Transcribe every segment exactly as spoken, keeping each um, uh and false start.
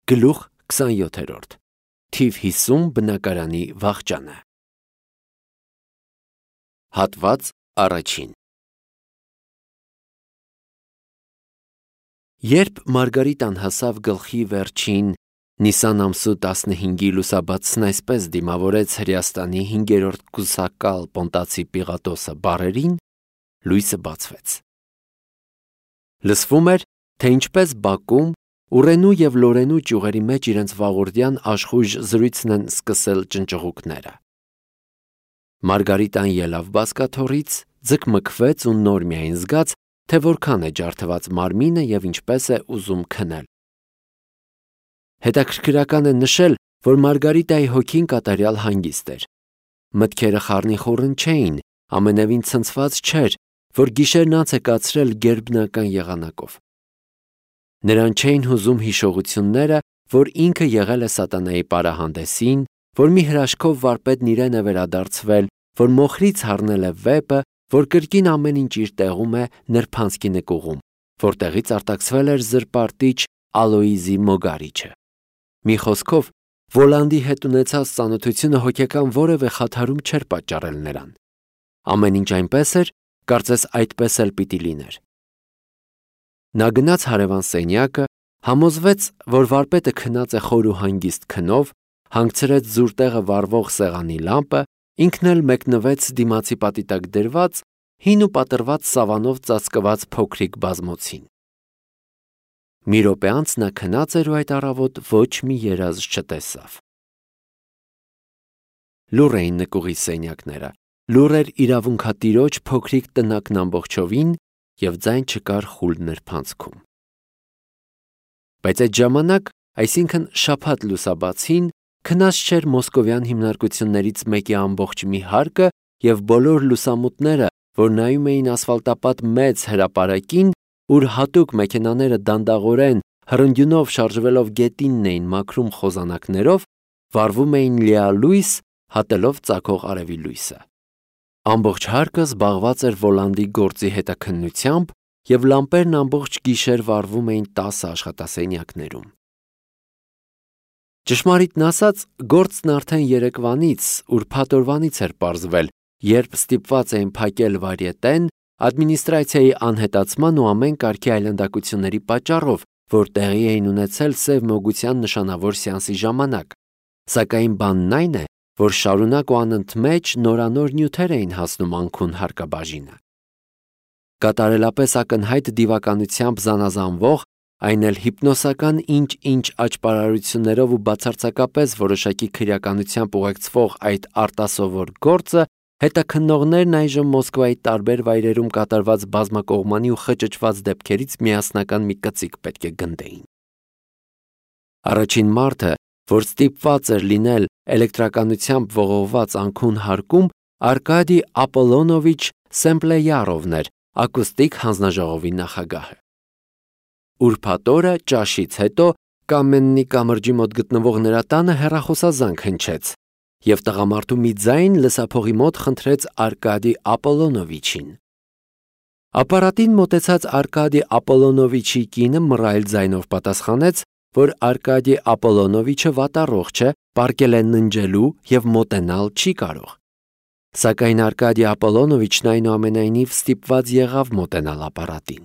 Գլուխ քսանյոթերորդ Թիվ հիսուն բնակարանի վախճանը Հատված առաջին Երբ Մարգարիտան հասավ գլխի վերջին Նիսան ամսու տասնհինգի լուսաբացն այսպես դիմավորեց Հրեաստանի հինգերորդ կուսակալ Պոնտացի Պիղատոսը բառերին, լույսը բացվեց։ Լսվում էր, թե ինչպես Բաքում Ուրենու և Լորենու ճյուղերի մեջ իրենց վաղորդյան աշխույժ զրույցն են սկսել ճնճղուկները։ Մարգարիտան ելավ բազկաթոռից, ձգմգվեց ու նոր միայն զգաց, թե որքան է ջարդված մարմինը և ինչպես է ուզում քնել։ Հետաքրքրական է նշել, որ Մարգարիտայի հոգին կատարյալ հանգիստ էր։ Մտքերը խառնիխուռն չէին, ամենևին ցնցված չէր, որ գիշերն անց է կացրել գերբնական եղանակով։ Նրան չէին հուզում հիշողությունները, որ ինքը եղել է սատանայի պարահանդեսին, որ մի հրաշքով վարպետն իրեն է վերադարձվել, որ մոխրից հառնել է վեպը, որ կրկին ամեն ինչ իր տեղում է նրբանցքի նկուղում, որտեղից արտաքսվել էր զրպարտիչ Ալոիզի Մոգարիչը։ Մի խոսքով, Վոլանդի հետ ունեցած ծանոթությունը հոգեկան որևէ խաթարում չէր պատճառել նրան։ Ամեն ինչ այնպես էր, կարծես այդպես էլ պիտի լիներ։ Նա գնաց հարևան սենյակը, համոզվեց, որ վարպետը քնած է խոր ու հանգիստ քնով, հանգցրեց զուր տեղը վառվող սեղանի լամպը, ինքն էլ մեկնվեց դիմացի պատի տակ դրված, հին ու պատռված սավանով ծածկված փոքրիկ բազմոցին։ Մի րոպե անց նա քնած էր ու այդ առավոտ ոչ մի երազ չտեսավ։ Լուռ էին նկուղի սենյակները, լուռ էր իրավունքատիրոջ փոքրիկ տնակն ամբողջովին և ձայն չկար խուլ նրբանցքում։ Բայց այդ ժամանակ, այսինքն շաբաթ լուսաբացին, քնած չէր մոսկովյան հիմնարկություններից մեկի ամբողջ մի հարկը և բոլոր լուսամուտները, որ նայում էին ասֆալտապատ մեծ հրապարակին, ուր հատուկ մեքենաները դանդաղորեն հրնդյունով շարժվելով գետինն էին մաքրում խոզանակներով, վառվում էին լիալույս, հատելով ծագող արևի լույսը։ Ամբողջ հարկը զբաղված էր Վոլանդի գործի հետաքննությամբ և լամպերն ամբողջ գիշեր վառվում էին տասը աշխատասենյակներում։ Ճշմարիտն ասած, գործն արդեն երեկվանից, ուրբաթ օրվանից էր պարզվել, երբ ստիպված էին փակել վարիետեն ադմինիստրացիայի անհետացման ու ամեն կարգի այլանդակությունների պատճառով, որ տեղի էին ունեցել սև մոգության նշանավոր սեանսի ժամանակ, սակայն բանն այն է, որ շարունակ ու անընդմեջ նորանոր նյութեր էին հասնում անքուն հարկաբաժինը։ Կատարելապես ակնհայտ դիվականությամբ զանազանվող, այն էլ հիպնոսական ինչ-ինչ աճպարարություններով ու բացարձակապես որոշակի քրեականությամբ ուղեկցվող այդ արտասովոր գործը հետաքննողներն այժմ Մոսկվայի տարբեր վայրերում կատարված բազմակողմանի ու խճճված դեպքերից միասնական մի կծիկ պետք է գնդեին։ Առաջին մարդը, որ ստիպված էր լինել էլեկտրականությամբ ողողված անքուն հարկում, Արկադի Ապոլոնովիչ Սեմպլեյարովն էր, ակուստիկ հանձնաժողովի նախագահը։ Ուրբաթ օրը ճաշից հետո Կամեննի կամրջի մոտ գտնվող նրա տանը հեռախոսազանգ հնչեց, և տղամարդու մի ձայն լսափողի մոտ խնդրեց Արկադի Ապոլոնովիչին։ Ապարատին մոտեցած Արկադի Ապոլոնովիչի կինը մռայլ ձայնով պատասխանեց, որ Արկադի Ապոլոնովիչը վատառողջ է, պառկել է ննջելու և մոտենալ չի կարող։ Սակայն Արկադի Ապոլոնովիչն այնուամենայնիվ ստիպված եղավ մոտենալ ապարատին։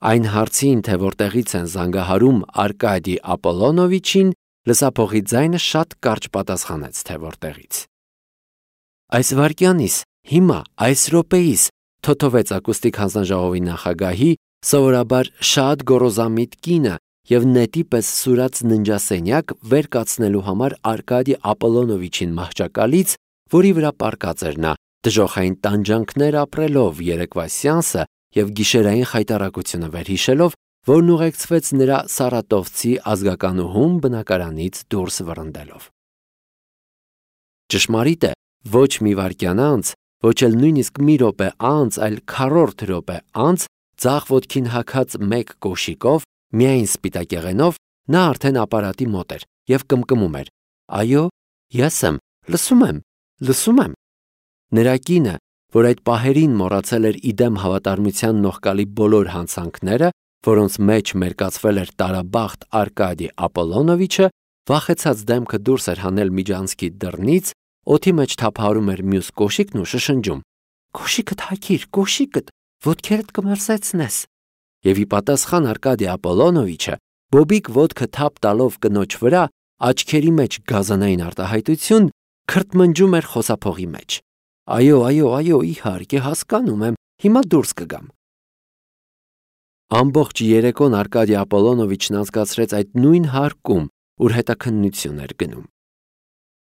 Այն հարցին, թե որտեղից են զանգահարում Արկադի Ապոլոնովիչին, լսափողի ձայնը շատ կարճ պատասխանեց, թե որտեղից։ Այս վայրկյանից, հիմա, այս րոպեիս, թոթովեց ակուստիկ հանձնաժողովի նախագահի, սովորաբար շատ գոռոզամիտ կինը և նետի պես սուրաց ննջասենյակ վեր կացնելու համար Արկադի Ապոլոնովիչին մահճակալից, որի վրա պառկած էր նա, դժոխային տանջանքներ ապրելով երեկվա սեանսը և գիշերային խայտառակությունը վերհիշելով, որն ուղեկցվեց նրա սարատովցի ազգականուհուն բնակարանից դուրս վռնդելով։ Ճշմարիտ է, ոչ մի վայրկյան անց, ոչ էլ նույնիսկ մի րոպե անց, այլ քառորդ րոպե անց, ձախ ոտքին հագած մեկ կոշիկով, միայն սպիտակեղենով, նա արդեն ապարատի մոտ էր և կմկմում էր. «Այո, ես եմ, լսում եմ, լսում եմ»։ Նրա կինը, որ այդ պահերին մոռացել էր իդեմ հավատարմության նողկալի բոլոր հանցանքները, որոնց մեջ մերկացվել էր տարաբախտ Արկադի Ապոլոնովիչը, վախեցած դեմքը դուրս էր հանել միջանցքի դռնից, օդի մեջ թափահարում էր մյուս կոշիկն ու շշնջում. «Կոշիկդ հագիր, կոշիկդ, ոտքերդ կմրսեցնես»։ Եվ ի պատասխան Արկադի Ապոլոնովիչը, բոբիկ ոտքը թափ տալով կնոջ վրա, աչքերի մեջ գազանային արտահայտություն, քրթմնջում էր խոսափողի մեջ. «Այո, այո, այո, իհարկե, հասկանում եմ, հիմա դուրս կգամ»։ Ամբողջ երեկոն Արկադի Ապոլոնովիչն անցկացրեց այդ նույն հարկում, ուր հետաքննություն էր գնում։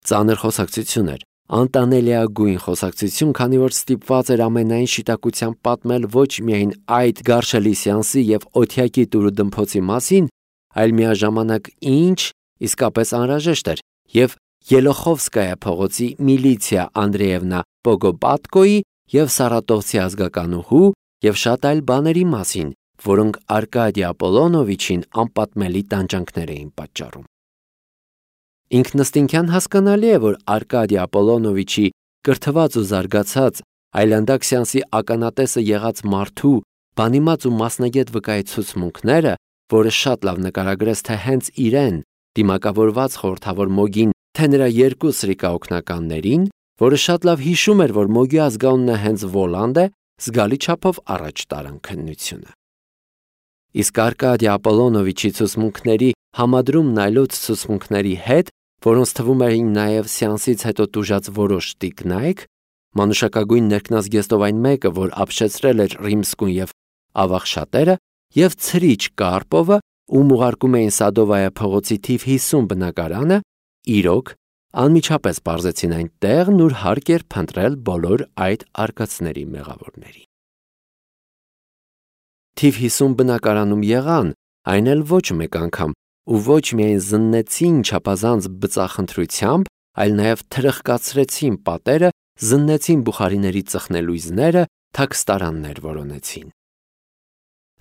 Ծանր խոսակցություն էր, անտանելիագույն խոսակցություն, քանի որ ստիպված էր ամենայն շիտակությամբ պատմել ոչ միայն այդ գարշելի սեանսի և օթյակի տուրուդմփոցի մասին, այլ միաժամանակ ինչ իսկապես անհրաժեշտ էր և Ելոխովսկայա փողոցի Միլիցիա Անդրեևնա Պոգոպատկոյի և Սարատովցի ազգականուհու և շատ այլ բաների մասին, որոնք Արկադի Ապոլոնովիչին անպատմելի տանջանքներ էին պատճառում։ Ինքնըստինքյան հասկանալի է, որ Արկադի Ապոլոնովիչի կրթված ու զարգացած այլանդակ սեանսի ականատեսը եղած մարդու բանիմաց ու մասնագետ վկայի ցուցմունքները, որը շատ լավ նկարագրեց թե հենց իրեն դիմակավորված խորհրդավոր Մոգին, թե նրա երկու սրիկա օգնականներին, որը շատ լավ հիշում էր, որ Մոգի ազգանունը հենց Վոլանդ է, զգալի չափով առաջ տարան քննությունը։ Իսկ Արկադի Ապոլոնովիչի ցուցմունքների համադրումն այլոց ցուցմունքների հետ, որոնց թվում էին նաև սեանսից հետո տուժած որոշ տիկնայք, մանուշակագույն ներքնազգեստով այն մեկը, որ ապշեցրել էր Ռիմսկուն և Ավաղ-շատերը, և ցրիչ Կարպովը, ում ուղարկում էին Սադովայա փողոցի թիվ հիսուն բնակարանը, իրոք անմիջապես պարզեցին այն տեղն, ուր հարկ էր փնտրել բոլոր այդ արկածների մեղավորներին։ Թիվ հիսուն բնակարանում եղան, այն էլ ոչ մեկ անգամ, ու ոչ միայն զննեցին չափազանց բծախնդրությամբ, այլ նաև թրխկացրեցին պատերը, զննեցին բուխարիների ծխնելույզները, թաքստարաններ որոնեցին։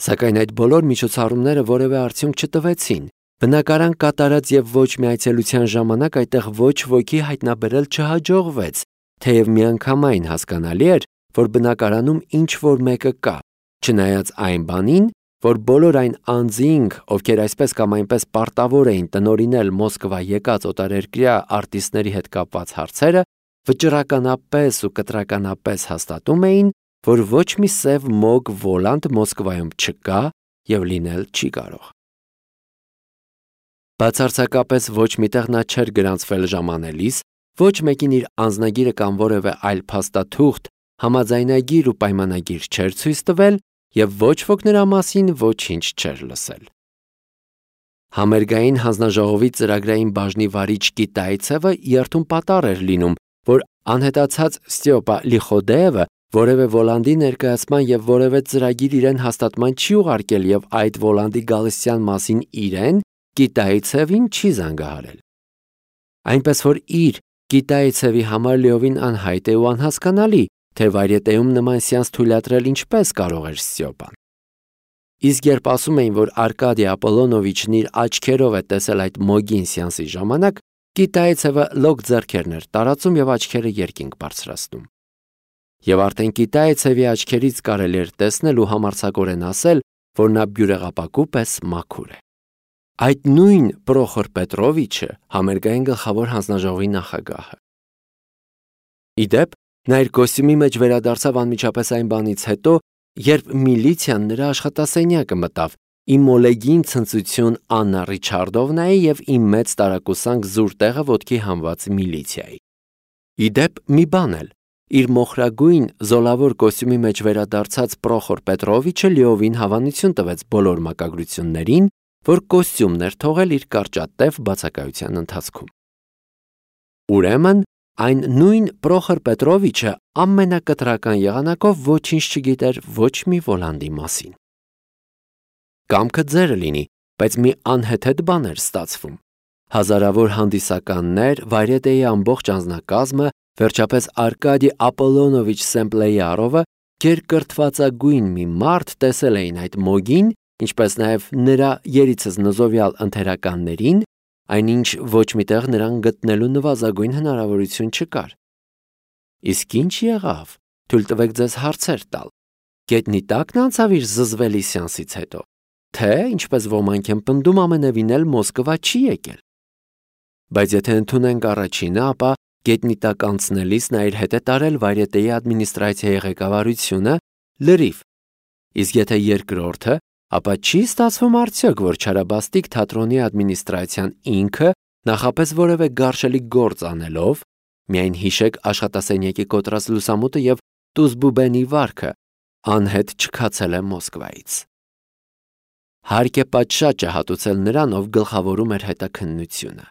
Սակայն այդ բոլոր միջոցառումները որևէ արդյունք չտվեցին։ Բնակարան կատարած և ոչ մի այցելության ժամանակ այդտեղ ոչ ոքի հայտնաբերել չհաջողվեց, թեև միանգամայն հասկանալի էր, որ բնակարանում ինչ-որ մեկը կա, չնայած այն բանին, որ բոլոր այն անձինք, ովքեր այսպես կամ այնպես պարտավոր էին տնօրինել Մոսկվա եկած օտարերկրյա արտիստների հետ կապված հարցերը, վճռականապես ու կտրականապես հաստատում էին, որ ոչ մի սև Մոգ Վոլանդ Մոսկվայում չկա և լինել չի կարող։ Բացարձակապես ոչ միտեղ նա չէր գրանցվել ժամանելիս, ոչ մեկին իր անձնագիրը կամ որևէ այլ փաստաթուղթ, համաձայնագիր ու պայմանագիր չէր ցույց տվել և ոչ ոք նրա մասին ոչինչ չէր լսել։ Համերգային հանձնաժողովի ծրագրային բաժնի վարիչ Կիտայցևը երթուն պատառ էր լինում, որ անհետացած Ստյոպա Լիխոդեևը որևէ Վոլանդի ներկայացման և որևէ ծրագիր իրեն հաստատման չի ուղարկել և այդ Վոլանդի գալստյան մասին իրեն Կիտայցևին չի զանգահարել։ Այնպես որ իր Կիտայցևի համար լիովին անհայտ է ու անհասկանալի, թե վայրետեում նման սեանս թույլատրել ինչպես կարող էր Ստյոպան։ Իսկ երբ ասում էին, որ Արկադի Ապոլոնովիչն իր աչքերով է տեսել այդ Մոգին սեանսի ժամանակ, Կիտայցևը լոկ ձեռքերն էր տարածում և աչքերը երկինք բարձրացնում։ Եվ արդեն Կիտայցևի աչքերից կարելի էր տեսնել ու համարձակորեն ասել, որ նա բյուրեղապակու պես մաքուր է։ Այդ նույն Պրոխոր Պետրովիչը համերգային գլխավոր հանձնաժողովի նախագահը։ Ի դեպ, նա իր կոստյումի մեջ վերադարձավ անմիջապես այն բանից հետո, երբ միլիցիան նրա աշխատասենյակը մտավ, իմ մոլեգին ցնծություն Աննա Ռիչարդովնայի և իմ մեծ տարակուսանք զուր տեղը ոտքի հանված միլիցիայի։ Ի դեպ, մի բան էլ, իր մոխրագույն զոլավոր կոստյումի մեջ վերադարձած Պրոխոր Պետրովիչը լիովին հավանություն տվեց բոլոր մակագրություններին, որ կոստյումն էր թողել իր կարճատև բացակայության ընթացքում։ Ուրեմն, այն նույն Պրոխոր Պետրովիչը ամենակտրական եղանակով ոչինչ չգիտեր ոչ մի Վոլանդի մասին։ Կամքը ձերը լինի, բայց մի անհեթեթ բան էր ստացվում։ Հազարավոր հանդիսականներ, վայրետեի ամբողջ անձնակազմը, վերջապես Արկադի Ապոլոնովիչ Սեմպլեյարովը, գերկրթվածագույն մի մարդ տեսել էին այդ Մոգին, ինչպես նաև նրա երիցս նզովյալ ընթերականներին, այնինչ ոչ միտեղ նրան գտնելու նվազագույն հնարավորություն չկար։ Իսկ ինչ եղավ, թույլ տվեք ձեզ հարցեր տալ։ Գետնի տակն անցավ իր զզվելի սեանսից հետո։ թե, ինչպես ոմանք են պնդում, ամենևին էլ Մոսկվա չի եկել։ Բայց եթե ընդունենք առաջինը, ապա գետնի տակ անցնելիս նա իր հետ է տարել Վարյետեի ադմինիստրացիայի ղեկավարությունը լրիվ։ Իսկ եթե երկրորդը, ապա չի ստացվում արդյոք, որ Չարաբաստիկ թատրոնի ադմինիստրացիան ինքը նախապես որևէ գարշելի գործ անելով, միայն հիշեք աշխատասենյակի կոտրած լուսամուտը եւ Տուզբուբենի վարքը, անհետ չքացել է Մոսկվայից։ Հարկ է պատշաճը հատուցել նրան, ով գլխավորում էր հետաքննությունը։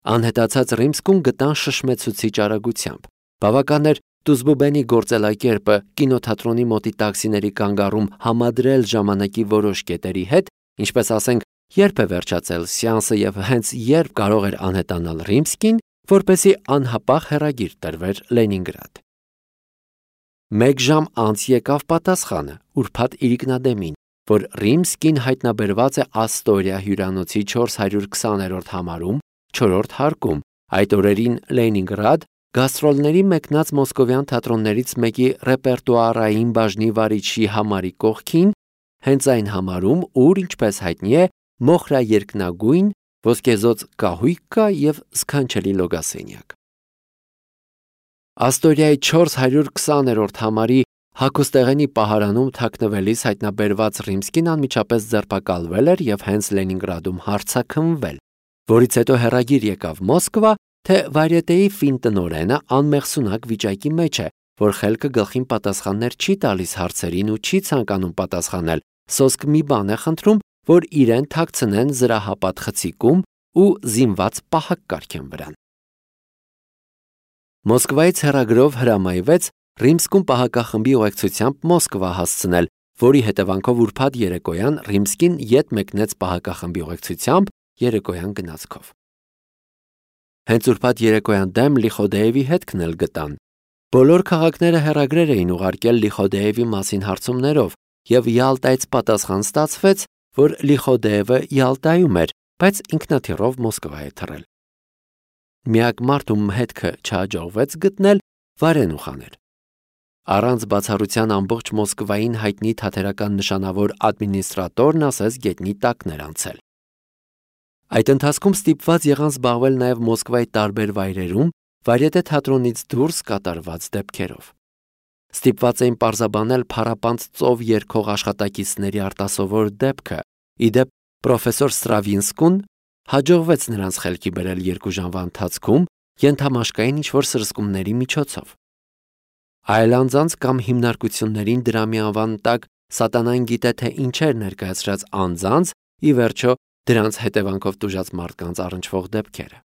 Անհետացած Ռիմսկուն գտան շշմեցուցիչ արագությամբ։ Բավական էր Տուզբուբենի գործելակերպը կինոթատրոնի մոտի տաքսիների կանգառում համադրել ժամանակի որոշ կետերի հետ, ինչպես ասենք, երբ է վերջացել սեանսը եւ հենց երբ կարող էր անհետանալ Ռիմսկին, որպեսզի անհապաղ հեռագիր տրվեր Լենինգրադ։ Մեկ ժամ անց եկավ պատասխանը ուրբաթ իրիկնադեմին, որ Ռիմսկին հայտնաբերված է Աստորիա հյուրանոցի չորս հարյուր քսաներորդ համարում, չորրորդ հարկում, այդ օրերին Լենինգրադ գաստրոլների մեկնած մոսկովյան թատրոններից մեկի ռեպերտուարային բաժնի վարիչի համարի կողքին, հենց այն համարում, ուր, ինչպես հայտնի է, մոխրա երկնագույն, ոսկեզոծ կահույք կա եւ սքանչելի լոգասենյակ։ Աստորիայի չորս հարյուր քսաներորդ համարի հագուստեղենի պահարանում թաքնվելիս հայտնաբերված Ռիմսկին անմիջապես ձերբակալվել էր եւ հենց Լենինգրադում հարցաքննվել, որից հետո հեռագիր եկավ Մոսկվա, թե Վարյետեի ֆինտնօրենը անմեղսունակ վիճակի մեջ է, որ խելքը գլխին պատասխաններ չի տալիս հարցերին ու չի ցանկանում պատասխանել, սոսկ մի բան է խնդրում, որ իրեն թաքցնեն զրահապատ խցիկում ու զինված պահակ կարգեն վրան։ Մոսկվայից հեռագրով հրամայվեց Ռիմսկուն պահակախմբի ուղեկցությամբ Մոսկվա հասցնել, որի հետևանքով ուրբաթ երեկոյան Ռիմսկին ետ մեկնեց պահակախմբի ուղեկցությամբ երեկոյան գնացքով։ Հենց ուրբաթ երեկոյան դեմ Լիխոդեևի հետքն էլ գտան։ Բոլոր քաղաքները հեռագրեր էին ուղարկել Լիխոդեևի մասին հարցումներով, եւ Յալտայից պատասխան ստացվեց, որ Լիխոդեևը Յալտայում էր, բայց ինքնաթիռով Մոսկվա է թռել։ Միակ մարդ, ում հետքը չհաջողվեց գտնել, Վարենուխան էր։ Առանց բացառության ամբողջ Մոսկվային հայտնի թատերական նշանավոր ադմինիստրատորն ասես գետնի տակն էր անցել։ Այդ ընթացքում ստիպված եղան զբաղվել նաև Մոսկվայի տարբեր վայրերում Վարյետե թատրոնից դուրս կատարված դեպքերով։ Ստիպված էին պարզաբանել փառապանծ ծով երգող աշխատակիցների արտասովոր դեպքը։ Իդեպ պրոֆեսոր Ստրավինսկուն հաջողվեց նրանց խելքի բերել երկու ժամվա ընթացքում ենթամաշկային ինչ-որ սրսկումների միջոցով։ Այլ անձանց կամ հիմնարկություններին դրամի անվան տակ սատանան գիտե թե ինչեր ներկայացրած անձանց, ի վերջո դրանց հետևանքով տուժած մարդկանց առնչվող դեպքերը։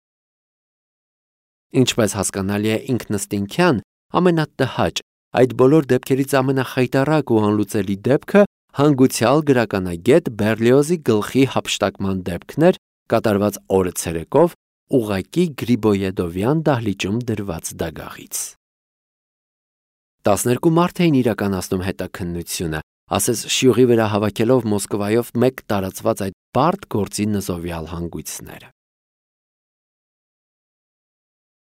Ինչպես հասկանալի է ինքնըստինքյան, ամենատհաճ, այդ բոլոր դեպքերից ամենախայտառակ ու անլուծելի դեպքը հանգուցյալ գրականագետ Բերլիոզի գլխի հափշտակման դեպքն էր, կատարված օրը ցերեկով ուղակի Գրիբոյեդովյան դահլիճում դրված դագաղից։ Տասներկու մարդ էին իրականացնում հետաքննությունը, ասես շյուղի վրա հավաքելով Մոսկվայով մեկ տարածված այդ բարդ գործի նզովյալ հանգույցները։